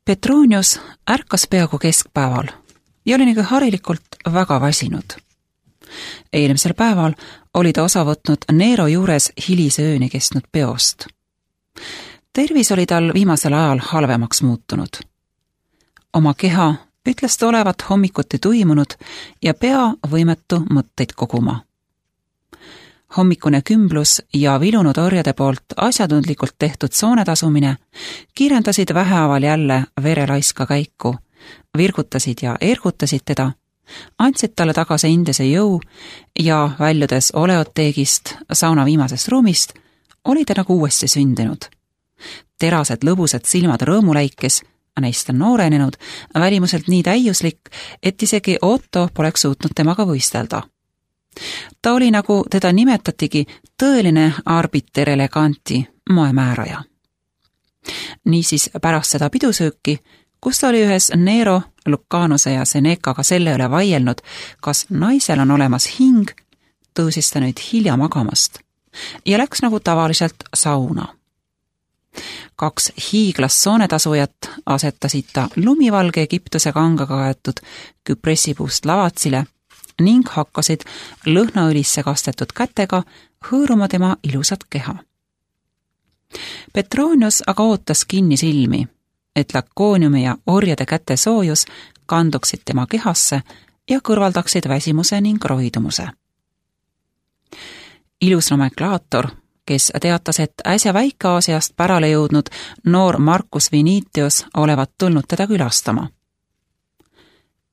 Petronius ärkas peaaegu keskpäeval ja oli nagu harilikult väga väsinud. Eelmisel päeval oli ta osa võtnud Nero juures hilise ööni kestnud peost. Tervis oli tal viimasel ajal halvemaks muutunud. Oma keha ütles ta olevat hommikuti tuimunud ja pea võimetu mõtteid koguma. Hommikune kümblus ja vilunud orjade poolt asjatundlikult tehtud soonetasumine kiirendasid vähehaaval jälle verelaiska käiku, virgutasid ja ergutasid teda, andsid talle tagasi endise jõu ja väljudes oleoteegist, sauna viimasest ruumist, oli ta nagu uuesti sündinud. Terased lõbusad silmad rõõmuläikes, neist on noorenenud, välimuselt nii täiuslik, et isegi Otto poleks suutnud temaga võistelda. Ta oli, nagu teda nimetatigi, tõeline arbiter eleganti, moemääraja. Niisiis pärast seda pidusööki, kus ta oli ühes Nero, Lucanuse ja Senecaga selle üle vaielnud, kas naisel on olemas hing, tõusis ta nüüd hilja magamast ja läks nagu tavaliselt sauna. 2 hiiglast soonetasujat asetasid ta lumivalge Egiptuse kangaga kaetud küpressipuust lavatsile ning hakkasid lõhnaõlisse kastetud kätega hõõruma tema ilusat keha. Petronius aga ootas kinni silmi, et lakooniumi ja orjade käte soojus kanduksid tema kehasse ja kõrvaldaksid väsimuse ning roidumuse. Ilus nomenklaator, kes teatas, et äsja Väike-Aasiast pärale jõudnud noor Marcus Vinitius olevat tulnud teda külastama.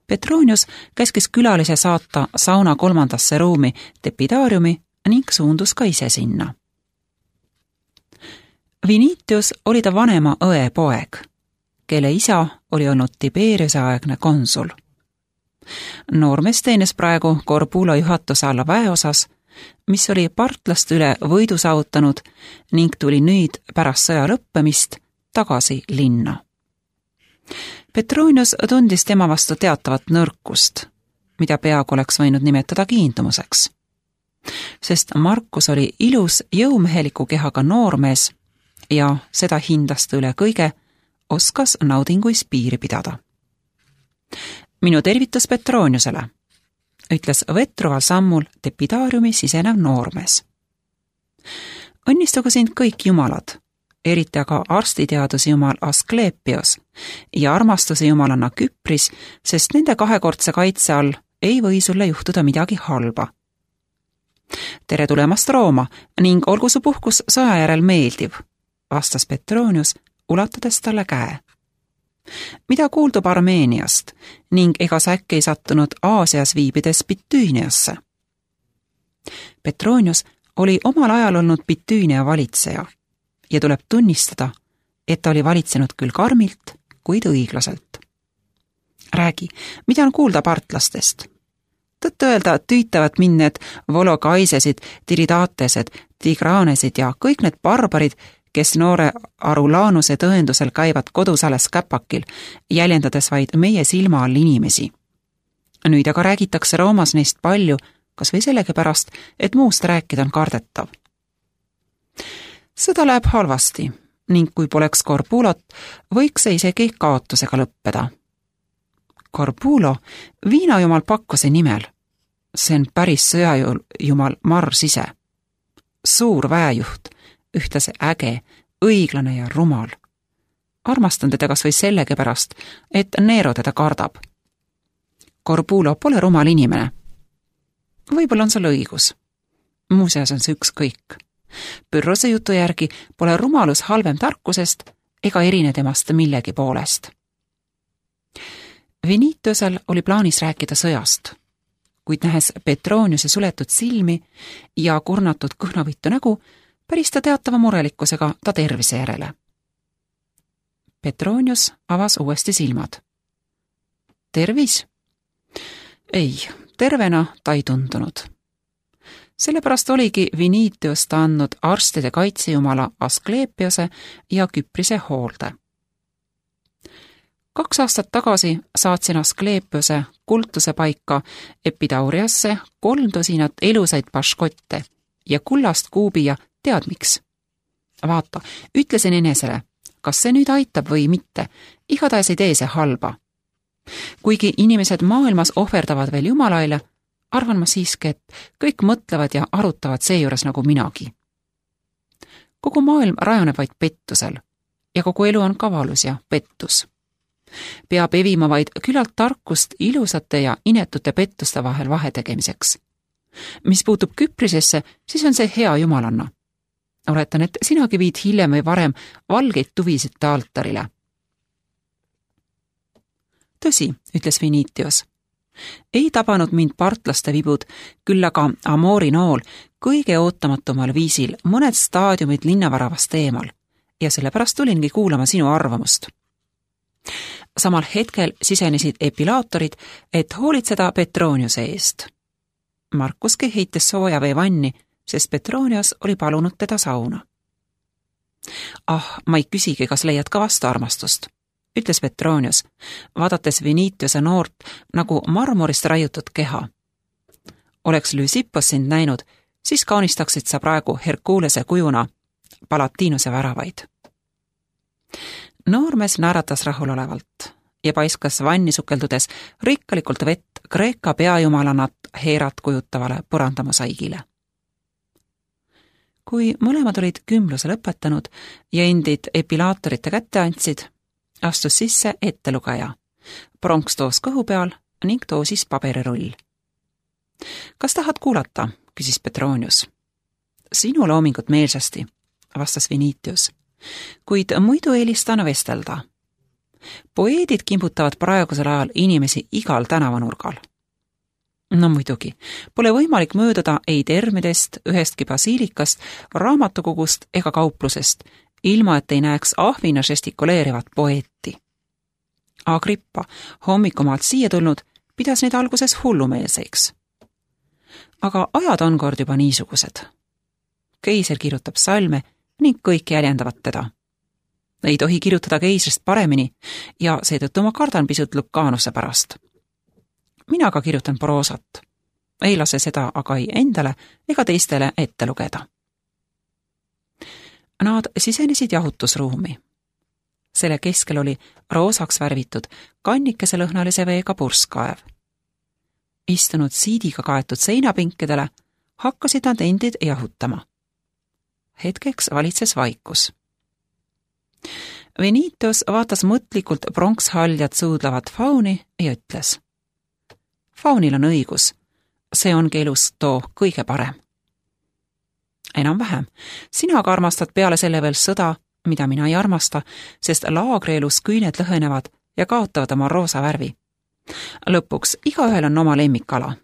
Petronius käskis külalise saata sauna 3. ruumi Tepidaariumi ning suundus ka ise sinna. Vinitius oli ta vanema õe poeg, kelle isa oli olnud Tiberiuse aegne konsul. Noormees teenis praegu Corbulo juhatuse alla väeosas, mis oli partlaste üle võidu saavutanud ning tuli nüüd pärast sõja lõppemist tagasi linna. Petronius tundis tema vastu teatavat nõrkust, mida peaaegu oleks võinud nimetada kiindumuseks. Sest Marcus oli ilus jõumeheliku kehaga noormees ja seda hindas ta üle kõige, oskas naudinguis piiri pidada. Minu tervitus Petroniusele, ütles vetruval sammul Tepidaariumi sisenev noormees. Õnnistugu sind kõik jumalad, eriti aga arstiteaduse jumal Asklepios ja armastuse jumalanna Küpris, sest nende kahekordse kaitse all ei või sulle juhtuda midagi halba. Tere tulemast Rooma ning olgu su puhkus sõja järel meeldiv, vastas Petronius, ulatades talle käe. Mida kuuldub Armeeniast ning ega sa äkki ei sattunud Aasias viibides Bitüüniasse? Petronius oli omal ajal olnud Bitüünia valitseja ja tuleb tunnistada, et ta oli valitsenud küll karmilt, kuid õiglaselt. Räägi, mida on kuulda partlastest? Tõtt öelda tüütavad mind need volokaisesid, tiridaatesed, tigraanesid ja kõik need barbarid, kes noore Arulanuse tõendusel käivad kodus alles käpakil, jäljendades vaid meie silma all inimesi. Nüüd aga räägitakse Roomas neist palju, kas või sellegipärast, et muust rääkida on kardetav. Sõda läheb halvasti ning kui poleks Corbulot, võiks see isegi kaotusega lõppeda. Corbulo, viinajumal Pakkose nimel. See on päris sõjajumal Mars ise. Suur väejuht, ühtlase äge, õiglane ja rumal. Armastan teda kas või sellegipärast, et Nero teda kardab. Corbulo pole rumal inimene. Võib-olla on sul õigus. Muuseas on see ükskõik. Pyrrhose jutu järgi pole rumalus halvem tarkusest ega erine temast millegi poolest. Vinitiusel oli plaanis rääkida sõjast, kuid nähes Petroniuse suletud silmi ja kurnatud kõhnavõitu nägu, päris ta teatava murelikkusega ta tervise järele. Petronius avas uuesti silmad. Tervis? Ei, tervena ta ei tundunud. Sellepärast oligi Vinitius ta andnud arstide kaitsejumala Asklepiose ja Küprise hoolde. 2 aastat tagasi saatsin Asklepiose kultuse paika Epidauriasse 3 tosinat elusaid paškotte ja kullast kuubi ja tead miks? Vaata, ütlesin enesele, kas see nüüd aitab või mitte, igatahes ei tee see halba. Kuigi inimesed maailmas ohverdavad veel Jumalaile, arvan ma siiski, et kõik mõtlevad ja arutavad seejuures nagu minagi. Kogu maailm rajaneb vaid pettusel ja kogu elu on kavalus ja pettus. Peab evima vaid küllalt tarkust ilusate ja inetute pettuste vahel vahetegemiseks. Mis puutub küprisesse, siis on see hea jumalanna. Oletan, et sinagi viid hiljem või varem valgeid tuvisid ta altarile. Tõsi, ütles Vinitius. Ei tabanud mind partlaste vibud, küll aga Amori nool kõige ootamatumal viisil mõned staadiumid linnavaravast eemal ja sellepärast tulingi kuulama sinu arvamust. Samal hetkel sisenesid epilaatorid, et hoolitseda Petroniuse eest. Markuski heitis sooja vee vanni, sest Petronius oli palunud teda sauna. Ma ei küsigi, kas leiad ka vastuarmastust, ütles Petronius, vaadates Vinitiuse noort nagu marmorist raiutud keha. Oleks Lysippos sind näinud, siis kaunistaksid sa praegu Herkulese kujuna Palatinuse väravaid. Noormees naeratas rahulolevalt ja paiskas vanni sukeldudes rikkalikult vett Kreeka peajumalanat Heerat kujutavale põrandamosaigile. Kui mõlemad olid kümluse lõpetanud ja endid epilaatorite kätte andsid, astus sisse ettelugeja. Pronks toos kõhu peal ning toosis paberirull. Kas tahad kuulata, küsis Petronius. Sinu loomingut meelsasti, vastas Vinitius, kuid muidu eelistan vestelda. Poeedid kimbutavad praegusel ajal inimesi igal tänavanurgal. No muidugi, pole võimalik mööduda ei termidest, ühestki basiilikast, raamatukogust ega kauplusest, ilma et ei näeks ahvina žestikuleerivat poeeti. Agrippa, hommikumaalt siia tulnud, pidas neid alguses hullumeelseks. Aga ajad on kord juba niisugused. Keiser kirjutab salme ning kõik jäljendavad teda. Ei tohi kirjutada keisrist paremini ja seetõttu ma kardan pisut Lucanuse pärast. Mina ka kirjutan proosat. Ei lase seda aga ei endale ega teistele ette lugeda. Nad sisenesid jahutusruumi. Selle keskel oli roosaks värvitud kannikese lõhnalise veega purskkaev. Istunud siidiga kaetud seinapinkedele hakkasid nad endid jahutama. Hetkeks valitses vaikus. Vinitius vaatas mõtlikult pronkshaljad suudlavat fauni ja ütles: Faunil on õigus, see ongi elus too kõige parem. Enam-vähem, sina aga armastad peale selle veel sõda, mida mina ei armasta, sest laagrielus küüned lõhenevad ja kaotavad oma roosa värvi. Lõpuks igaühel on oma lemmikala.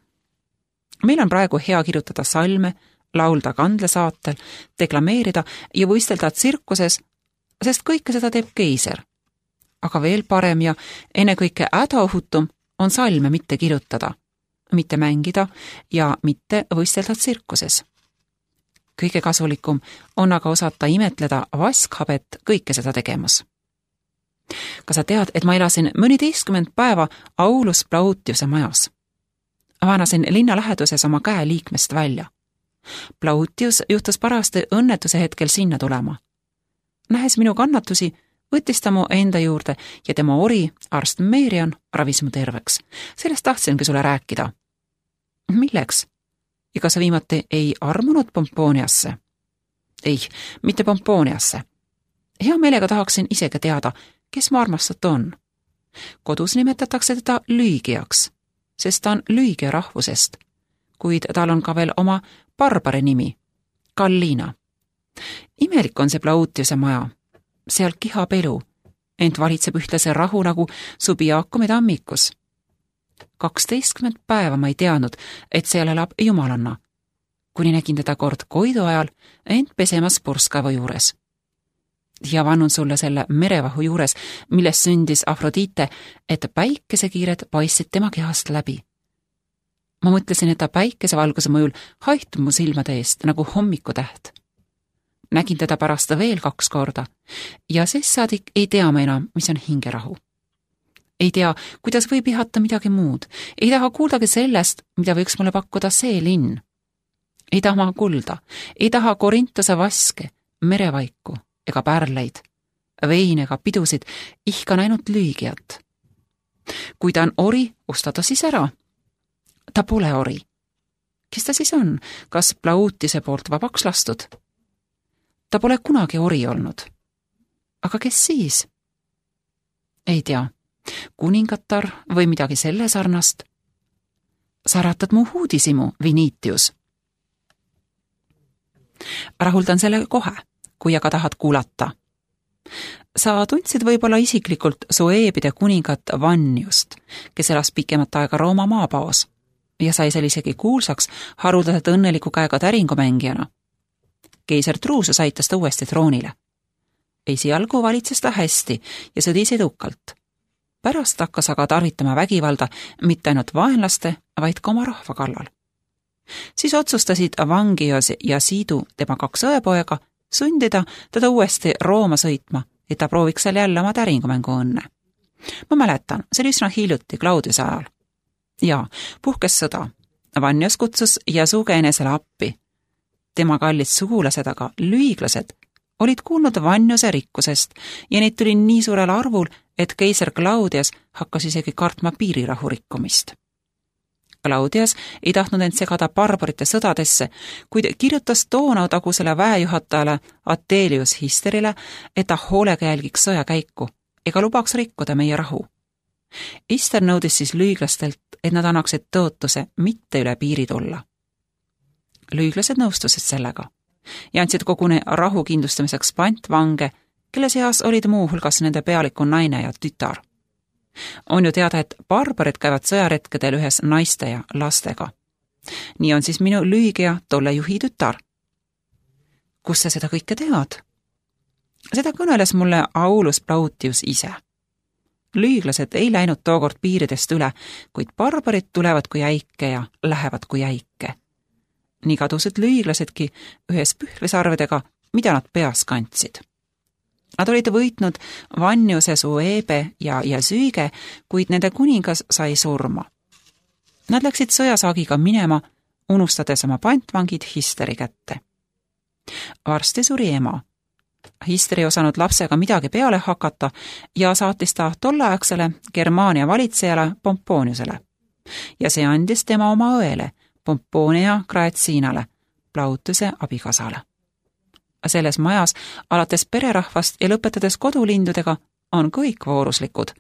Meil on praegu hea kirjutada salme, laulda kandlesaatel, deklameerida ja võistelda tsirkuses, sest kõike seda teeb keiser. Aga veel parem ja ennekõike hädaohutum on salme mitte kirjutada, mitte mängida ja mitte võistelda tsirkuses. Kõige kasulikum on aga osata imetleda vaskhabet kõike seda tegemas. Kas sa tead, et ma elasin mõni 10 päeva Aulus Plautiuse majas? Vanasin linna läheduses oma käe liikmest välja. Plautius juhtus parasti õnnetuse hetkel sinna tulema. Nähes minu kannatusi, võttis ta mu enda juurde ja tema ori, arst Merion, ravis mu terveks. Sellest tahtsingi sulle rääkida. Milleks? Ja kas sa viimati ei armunud Pomponiasse? Ei, mitte Pomponiasse. Hea meelega tahaksin isegi teada, kes mu armastat on. Kodus nimetatakse teda Lüügiaks, sest ta on Lüügia rahvusest, kuid tal on ka veel oma barbari nimi, Gallina. Imelik on see Plautiuse maja. Seal kihab elu, ent valitseb ühtlase rahu nagu Subiacumi tammikus. 12 päeva ma ei teadnud, et seal elab jumalanna, kuni nägin teda kord Koidu ajal ent pesemas purskkaevu juures. Ja vannun sulle selle merevahu juures, millest sündis Afrodite, et päikesekiired paistsid tema kehast läbi. Ma mõtlesin, et ta päikesevalguse mõjul haihtub mu silmade eest nagu hommikutäht. Nägin teda pärast veel 2 korda ja sest saadik ei tea ma enam, mis on hingerahu. Ei tea, kuidas võib ihata midagi muud. Ei taha kuuldagi sellest, mida võiks mulle pakkuda see linn. Ei taha kulda, ei taha Korintuse vaske, merevaiku ega pärleid. vein ega pidusid, ihkan ainult Lüügiat. Kui ta on ori, osta ta siis ära. Ta pole ori. Kes ta siis on? Kas Plautise poolt vabaks lastud? Ta pole kunagi ori olnud. Aga kes siis? Ei tea, kuningatar või midagi selle sarnast. Sa äratad mu uudisimu, Vinitius. Rahuldan selle kohe, kui aga tahad kuulata. Sa tundsid võib-olla isiklikult Sueebide kuningat Vanniust, kes elas pikemat aega Rooma maapaos ja sai seal isegi kuulsaks haruldaselt õnneliku käega täringumängijana. Keiser Drusus aitas ta uuesti troonile. Esialgu valitses ta hästi ja sõdis edukalt. Pärast hakkas aga tarvitama vägivalda mitte ainult vaenlaste, vaid ka oma rahva kallal. Siis otsustasid Vangios ja Siidu, tema 2 õepoega, sundida teda uuesti Rooma sõitma, et ta prooviks seal jälle oma täringumängu õnne. Ma mäletan, see oli üsna hiljuti Claudiuse ajal. Ja, puhkes sõda. Vannios kutsus Jasuge enesele appi. Tema kallid sugulased aga, lüiglased, olid kuulnud Vanniose rikkusest ja neid tuli nii suurel arvul, et keiser Claudius hakkas isegi kartma piirirahu rikkumist. Claudius ei tahtnud end segada barbarite sõdadesse, kuid kirjutas Donau tagusele väejuhatajale Atelius Histerile, et ta hoolega jälgiks sõjakäiku ega lubaks rikkuda meie rahu. Hister nõudis siis lüüglastelt, et nad annaksid tõotuse mitte üle piiri tulla. Lüüglased nõustusid sellega ja andsid koguni rahu kindlustamiseks pantvange, kelle seas olid muu hulgas nende pealiku naine ja tütar. On ju teada, et barbarid käivad sõjaretkedel ühes naiste ja lastega. Nii on siis minu Lüügia tolle juhi tütar. Kus sa seda kõike tead? Seda kõneles mulle Aulus Plautius ise. Lüüglased ei läinud tookord piiridest üle, kuid barbarid tulevad kui äike ja lähevad kui äike. Nii kadusid lüüglasedki ühes pühvlisarvedega, mida nad peas kandsid. Nad olid võitnud Vanniuse, Sueebe ja Jasüüge, kuid nende kuningas sai surma. Nad läksid sõjasaagiga minema, unustades oma pantvangid Histeri kätte. Varsti suri ema. Hister ei osanud lapsega midagi peale hakata ja saatis ta tolleaegsele Germaania valitsejale Pomponiusele. Ja see andis tema oma õele, Pomponia Graecinale, Plautuse abikaasale. Selles majas, alates pererahvast ja lõpetades kodulindudega, on kõik vooruslikud.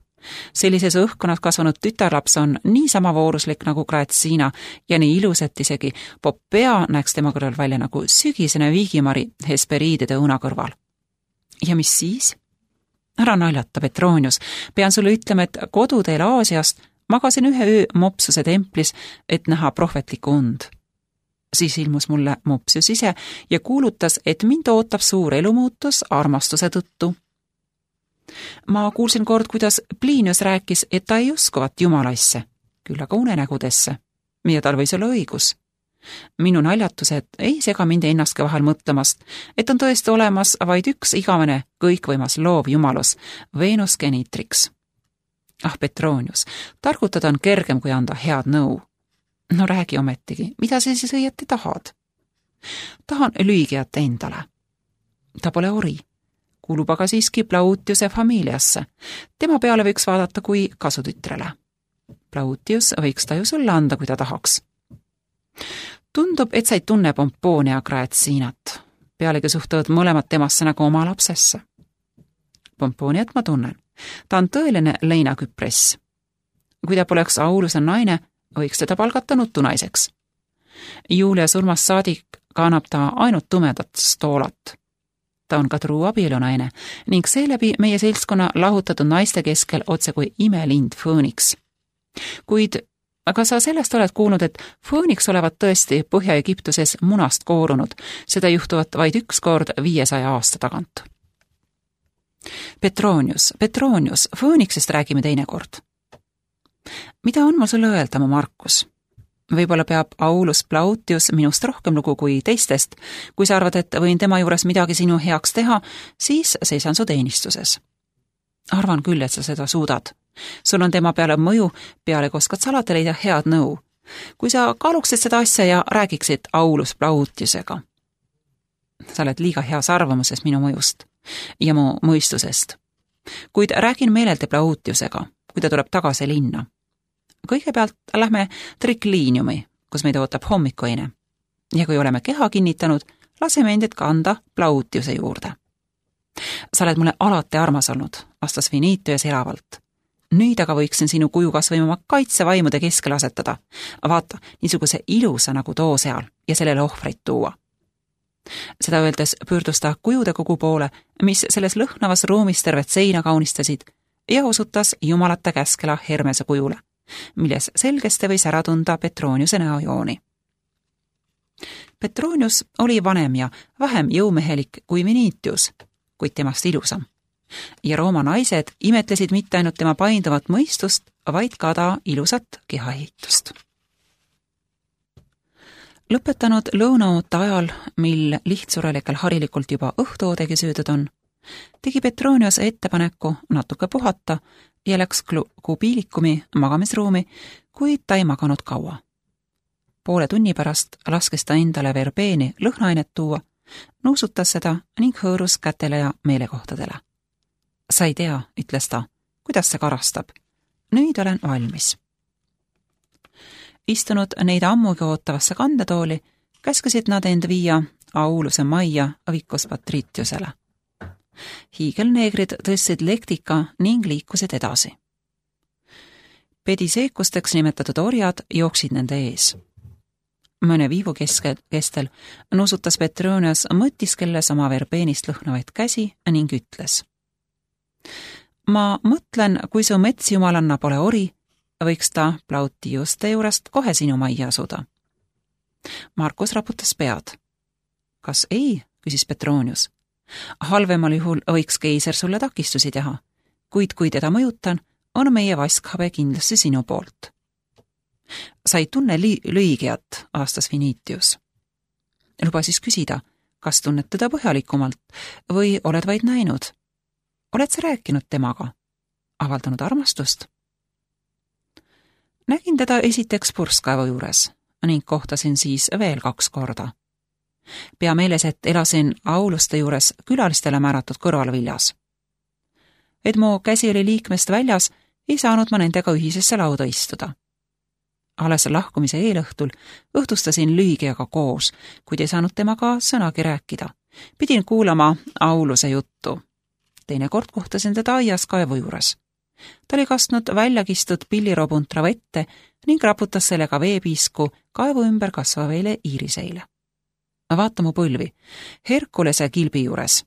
Sellises õhkkonnas kasvanud tütarlaps on niisama vooruslik nagu Graecina ja nii ilus, et isegi Popea näeks tema kõrval välja nagu sügisene viigimari Hesperiidide õuna kõrval. Ja mis siis? Ära naljata, Petronius. Pean sulle ütlema, et koduteel Aasiast magasin ühe öö Mopsuse templis, et näha prohvetlikku und. Siis ilmus mulle Mopsius ise ja kuulutas, et mind ootab suur elumuutus armastuse tõttu. Ma kuulsin kord, kuidas Plinius rääkis, et ta ei uskuvat jumalaisse, küll aga unenägudesse, ja tal võis olla õigus. Minu naljatused ei sega mind ennastki vahel mõtlemast, et on tõesti olemas vaid üks igavene kõikvõimas loov jumalus, Venus Genitrix. Ah, Petronius, targutada on kergem kui anda head nõu. No räägi ometigi, mida sa siis õieti tahad? Tahan Lüügiat endale. Ta pole ori, kuulub aga siiski Plautiuse familiasse. Tema peale võiks vaadata kui kasutütrele. Plautius võiks ta ju sulle anda, kui ta tahaks. Tundub, et sa ei tunne Pomponia Graecinat. Pealegi suhtuvad mõlemad temasse nagu oma lapsesse. Pomponiat ma tunnen. Ta on tõeline leinaküpress. Kui ta poleks Auluse naine, võiks teda palgata nutunaiseks. Julia surmast saadik kannab ta ainult tumedat stoolat. Ta on ka truu abielunaine ning seeläbi meie seltskonna lahutatud naiste keskel otse kui imelind Fööniks. Kuid aga sa sellest oled kuulnud, et Fööniks olevat tõesti Põhja-Egiptuses munast koorunud, seda juhtuvat vaid üks kord 500 aasta tagant. Petronius, Fööniksest räägime teinekord. Mida on mul sulle öelda, mu Markus? Võib-olla peab Aulus Plautius minust rohkem lugu kui teistest. Kui sa arvad, et võin tema juures midagi sinu heaks teha, siis seisan su teenistuses. Arvan küll, et sa seda suudad. Sul on tema peale mõju, peale oskad sa alati leida head nõu. Kui sa kaaluksid seda asja ja räägiksid Aulus Plautiusega. Sa oled liiga heas arvamuses minu mõjust. ja mu mõistusest. Kuid räägin meeleldi Plautiusega, kui ta tuleb tagasi linna. Kõigepealt lähme trikliiniumi, kus meid ootab hommikuine. Ja kui oleme keha kinnitanud, laseme endid kanda Plautiuse juurde. Sa oled mulle alati armas olnud, vastas Vinitius elavalt. Nüüd aga võiksin sinu kuju kas või oma kaitsevaimude keskel asetada. Vaata, niisuguse ilusa nagu too seal ja sellele ohvreid tuua. Seda öeldes pöördus ta kujude kogu poole, mis selles lõhnavas ruumis tervet seina kaunistasid ja osutas jumalate käskela Hermese kujule, milles selgesti võis ära tunda Petroniuse näojooni. Petronius oli vanem ja vähem jõumehelik kui Vinitius, kuid temast ilusam. Ja Rooma naised imetlesid mitte ainult tema painduvat mõistust, vaid ka ta ilusat kehaehitust. Lõpetanud lõunaoote ajal, mil lihtsurelikel harilikult juba õhtuoodegi söödud on, tegi Petronius ettepaneku natuke puhata ja läks kubiilikumi magamisruumi, kuid ta ei maganud kaua. Poole tunni pärast laskes ta endale verbeeni lõhnaainet tuua, nuusutas seda ning hõõrus kätele ja meelekohtadele. Sa ei tea, ütles ta, kuidas see karastab. Nüüd olen valmis. Istunud neid ammugi ootavasse kandetooli, käskasid nad end viia Auluse majja Vicus Patritiusele. Hiigelneegrid tõstsid lektika ning liikusid edasi. Pediseekusteks nimetatud orjad jooksid nende ees. Mõne viivu kestel nuusutas Petronius mõtiskelles oma verbeenist lõhnavaid käsi ning ütles. Ma mõtlen, kui su metsjumalanna pole ori, võiks ta Plautiuste juurest kohe sinu majja asuda. Markus raputas pead. Kas ei, küsis Petronius. Halvemal juhul võiks keiser sulle takistusi teha, kuid kui teda mõjutan, on meie vaskhabe kindlasti sinu poolt. Sa ei tunne lüügiat, aastas Vinitius. Luba siis küsida, kas tunned teda põhjalikumalt või oled vaid näinud? Oled sa rääkinud temaga? Avaldanud armastust? Nägin teda esiteks purskkaevu juures ning kohtasin siis veel 2 korda. Pea meeles, et elasin Auluste juures külalistele määratud kõrvalviljas. Et mu käsi oli liikmest väljas, ei saanud ma nendega ühisesse lauda istuda. Alles lahkumise eelõhtul õhtustasin lüügiaga koos, kuid ei saanud temaga sõnagi rääkida. Pidin kuulama Auluse juttu. Teinekord kohtasin teda aias kaevu juures. Ta oli kastnud väljakistud pilliropuntra vette ning raputas sellega veepiisku kaevu ümber kasvaveile iiriseile. Vaata mu põlvi, Herkulese kilbi juures.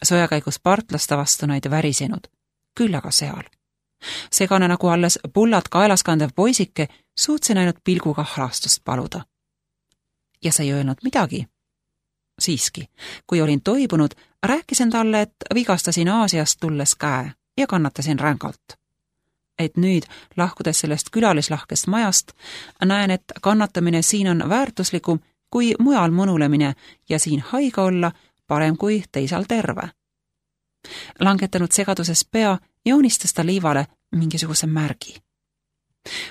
Sojakäigus partlasta vastu neid värisenud, küll aga seal. Segane nagu alles pullad kaelas kandev poisike, suutsin ainult pilguga halastust paluda. Ja sa ei öelnud midagi. Siiski, kui olin toibunud, rääkisin talle, et vigastasin Aasiast tulles käe ja kannatasin rängalt. Et nüüd, lahkudes sellest külalislahkest majast, näen, et kannatamine siin on väärtuslikum kui mujal mõnulemine ja siin haige olla parem kui teisal terve. Langetanud segaduses pea, joonistas ta liivale mingisuguse märgi.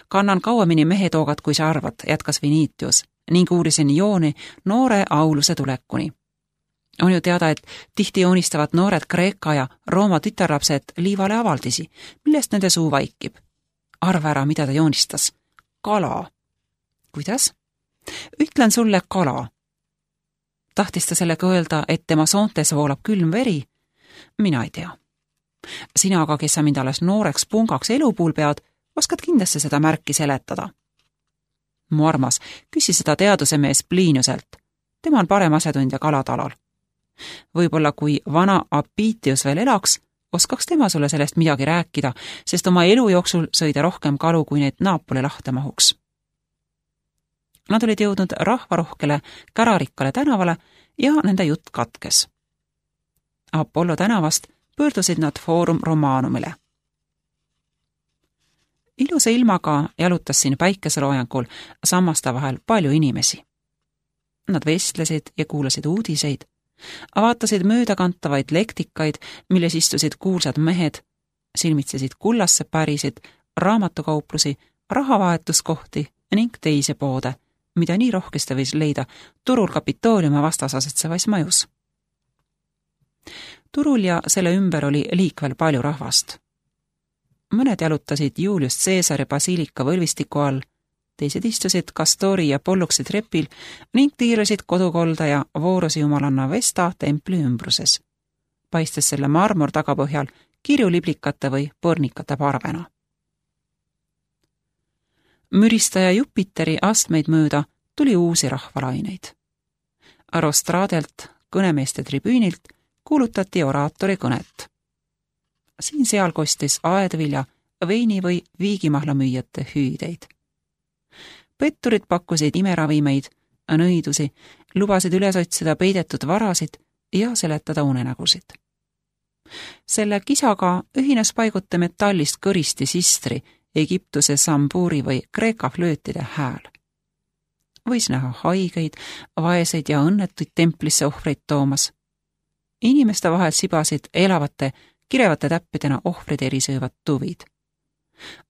Kannan kauemini mehetoogat, kui sa arvad, jätkas Vinitius, ning uurisin jooni noore Auluse tulekuni. On ju teada, et tihti joonistavad noored Kreeka ja Rooma tütarlapsed liivale avaldisi, millest nende suu vaikib. Arva ära, mida ta joonistas. Kala. Kuidas? Ütlen sulle kala. Tahtis ta sellega öelda, et tema soontes voolab külm veri? Mina ei tea. Sina aga, kes sa mind alles nooreks pungaks elupuul pead, oskad kindlasti seda märki seletada. Mu armas, küsi seda teadusemees Pliniuselt. Tema on parem asetundja kalatalal. Võib-olla kui vana Apitius veel elaks, oskaks tema sulle sellest midagi rääkida, sest oma elu jooksul sõida rohkem kalu, kui neid Naapoli lahte mahuks. Nad olid jõudnud rahvarohkele kärarikkale tänavale ja nende jutt katkes. Apollo tänavast pöördusid nad Foorum Romanumile. Ilusa ilmaga jalutas siin päikeseloojangul sammaste vahel palju inimesi. Nad vestlesid ja kuulasid uudiseid, vaatasid möödakantavaid lektikaid, milles istusid kuulsad mehed, silmitsesid kullasse pärisid, raamatukauplusi, rahavahetuskohti ning teisi poode, mida nii rohkesti võis leida turul Kapitooliumi vastas asetsevais majus. Turul ja selle ümber oli liikvel palju rahvast. Mõned jalutasid Julius Caesari basiilika võlvistiku all, teised istusid Kastori ja Polluksi trepil ning tiirasid kodukolda ja voorusi jumalanna Vesta templi ümbruses, paistes selle marmor tagapõhjal kirjuliblikate või põrnikate parvena. Müristaja Jupiteri astmeid mööda tuli uusi rahvalaineid. Rostraadelt, kõnemeeste tribüünilt, kuulutati oraatori kõnet. Siin-seal kostis aedvilja, veini või viigimahla müüjate hüüdeid. Petturid pakkusid imeravimeid, nõidusi, lubasid üles otsida peidetud varasid ja seletada unenägusid. Selle kisaga ühines paiguta metallist kõristi sistri, Egiptuse sambuuri või Kreeka flöötide hääl. Võis näha haigeid, vaeseid ja õnnetuid templisse ohvreid toomas. Inimeste vahel sibasid elavate, kirevate täppidena ohvrid erisöövad tuvid.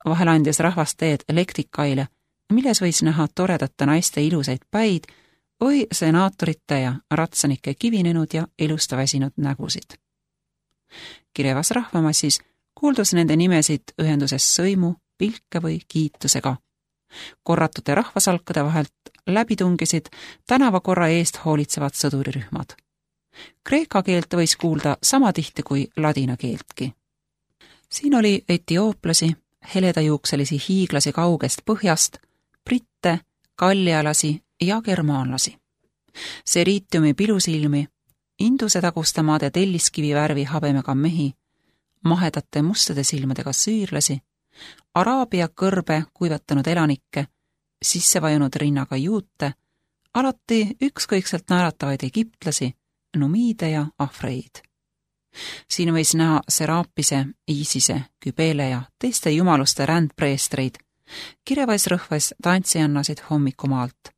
Vahel andis rahvast teed elektrikaile, milles võis näha toredate naiste ilusaid päid või senaatorite ja ratsanike kivinenud ja ilusta väsinud nägusid. Kirevas rahvamassis kuuldus nende nimesid ühenduses sõimu, pilke või kiitusega. Korratute rahvasalkade vahelt läbi tungisid tänavakorra eest hoolitsevad sõdurirühmad. Kreeka keelt võis kuulda sama tihti kui ladina keeltki. Siin oli etiooplasi, heledajuukselisi hiiglasi kaugest põhjast, britte, kallialasi ja germaanlasi. Seriitiumi pilusilmi, Induse taguste maade telliskivi värvi habemega mehi, mahedate mustade silmadega süürlasi, Araabia kõrbe kuivatanud elanikke, sissevajunud rinnaga juute, alati ükskõikselt naeratavaid egiptlasi, numiide ja afreid. Siin võis näha Seraapise, Iisise, Kübele ja teiste jumaluste rändpreestreid, kirevais rõhvais tantsijannasid hommikumaalt,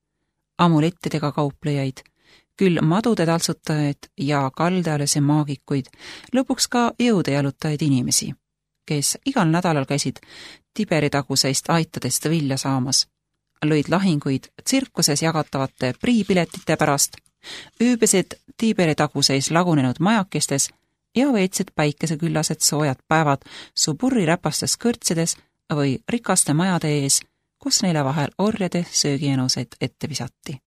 amulettidega kauplejaid, küll madude taltsutajaid ja kaldealasi maagikuid, lõpuks ka jõude jalutajaid inimesi, kes igal nädalal käisid Tiberi taguseist aitadest vilja saamas, lõid lahinguid tsirkuses jagatavate priipiletite pärast, ööbisid Tiberi taguseis lagunenud majakestes ja veetsid päikeseküllased soojad päevad suburri räpastes kõrtsides või rikaste majade ees, kus neile vahel orjade söögienuseid ette visati.